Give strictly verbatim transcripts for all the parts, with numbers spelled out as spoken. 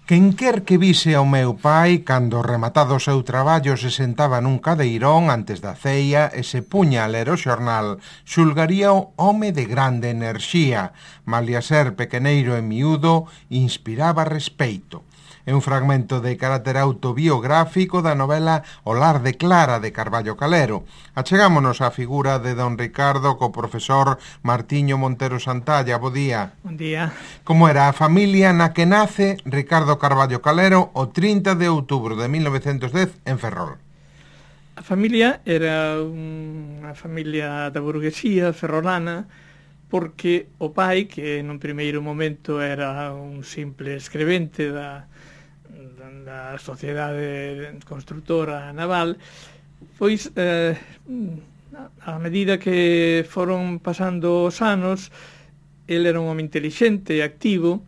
Quen quer que vise ao meu pai cando rematado o seu traballo se sentaba nun cadeirón antes da ceia e se puña a ler o xornal, xulgaría o home de grande enerxía, malia ser pequeneiro e miúdo, inspiraba respeito. É un fragmento de carácter autobiográfico da novela O lar de Clara de Carballo Calero. Achegámonos á figura de don Ricardo co profesor Martiño Montero Santalla. Bo día. Bon día. Como era a familia na que nace Ricardo Carballo Calero o trinta de outubro de mil novecentos dez en Ferrol? A familia era unha familia da burguesía ferrolana, porque o pai, que nun primeiro momento era un simple escrevente da da sociedade constructora naval, pois eh, a medida que foron pasando os anos, ele era un home intelixente e activo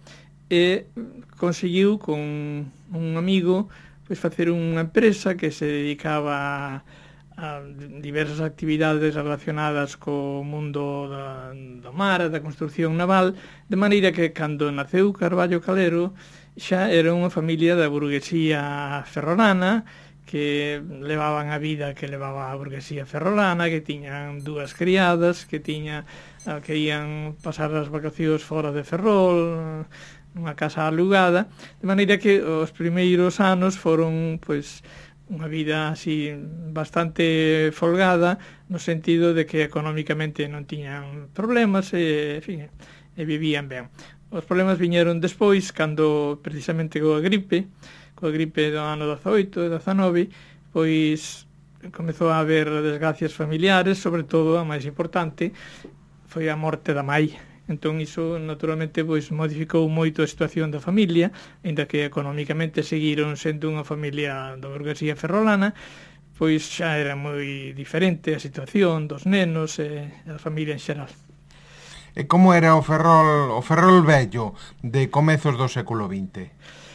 e conseguiu con un amigo pois facer unha empresa que se dedicaba a, a diversas actividades relacionadas co mundo da, do mar, da construcción naval, de maneira que cando naceu Carballo Calero xa era unha familia da burguesía ferrolana, que levaban a vida que levaba a burguesía ferrolana, que tiñan dúas criadas, que tiña que ían pasar as vacacións fora de Ferrol, nunha casa alugada, de maneira que os primeiros anos foron pois unha vida así bastante folgada, no sentido de que económicamente non tiñan problemas e, en fin, e vivían ben. Os problemas viñeron despois, cando precisamente coa gripe, coa gripe do ano dezaoito e dezanove, pois comezou a haber desgracias familiares, sobre todo a máis importante foi a morte da mai. Entón iso naturalmente pois modificou moito a situación da familia, aínda que económicamente seguiron sendo unha familia da burguesía ferrolana, pois xa era moi diferente a situación dos nenos e a familia en xeral. E como era o Ferrol, o Ferrol vello de comezos do século vinte?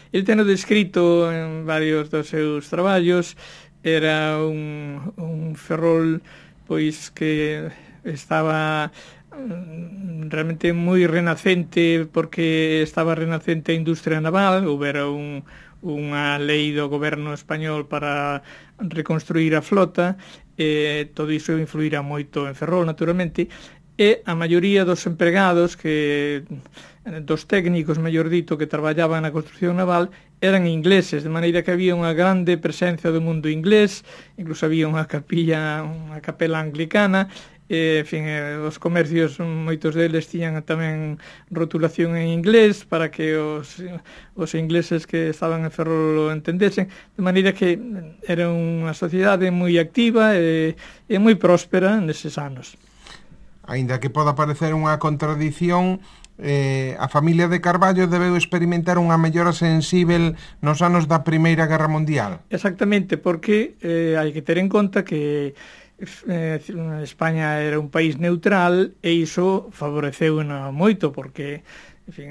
El teno descrito en varios dos seus traballos, era un, un Ferrol pois que estaba realmente moi renacente, porque estaba renacente a industria naval, houbera un, unha lei do goberno español para reconstruir a flota, e todo iso influirá moito en Ferrol, naturalmente, e a maioría dos empregados, que dos técnicos, mellor dito, que traballaban na construcción naval, eran ingleses, de maneira que había unha grande presencia do mundo inglés, incluso había unha capilla, unha capela anglicana, e, en fin, os comercios, moitos deles tiñan tamén rotulación en inglés para que os, os ingleses que estaban en Ferrol lo entendesen, de maneira que era unha sociedade moi activa e, e moi próspera neses anos. Aínda que poda parecer unha contradición, eh, a familia de Carballo debeu experimentar unha mellora sensível nos anos da Primeira Guerra Mundial. Exactamente, porque eh, hai que ter en conta que eh, España era un país neutral e iso favoreceu moito, porque en fin,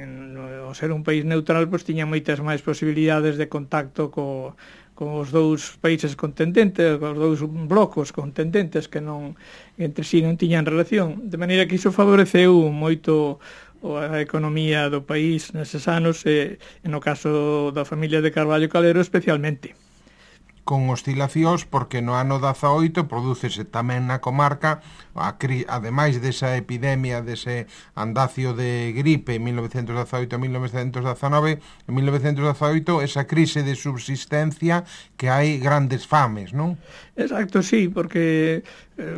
ao ser un país neutral pois tiña moitas máis posibilidades de contacto co con os dous países contendentes, os dous blocos contendentes que non entre si non tiñan relación, de maneira que iso favoreceu moito a economía do país neses anos e, no caso da familia de Carballo Calero especialmente. Con oscilacións, porque no ano dezaoito prodúcese tamén na comarca, a cri, ademais desa epidemia, dese andacio de gripe en mil novecentos dezaoito a mil novecentos dezanove, en mil novecentos dezaoito esa crise de subsistencia que hai grandes fames, non? Exacto, sí, porque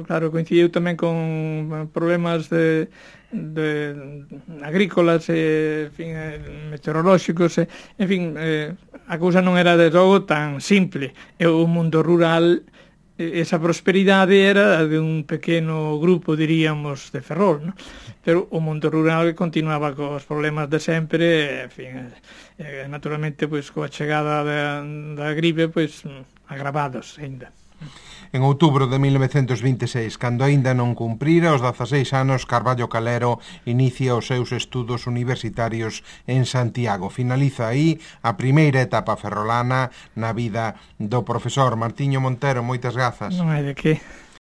claro, coincidiu tamén con problemas de de agrícolas e, en fin, meteorolóxicos, e, en fin, eh, a cousa non era de todo tan simple. E o mundo rural, esa prosperidade era de un pequeno grupo, diríamos, de Ferrol, ¿no? Pero o mundo rural continuaba cos problemas de sempre, en fin, eh, naturalmente, pois, coa chegada da, da gripe, pois, agravados ainda. En outubro de mil novecentos vinte e seis, cando aínda non cumprira os dezaseis anos, Carballo Calero inicia os seus estudos universitarios en Santiago. Finaliza aí a primeira etapa ferrolana na vida do profesor Martiño Montero. Moitas grazas. Non hai de que.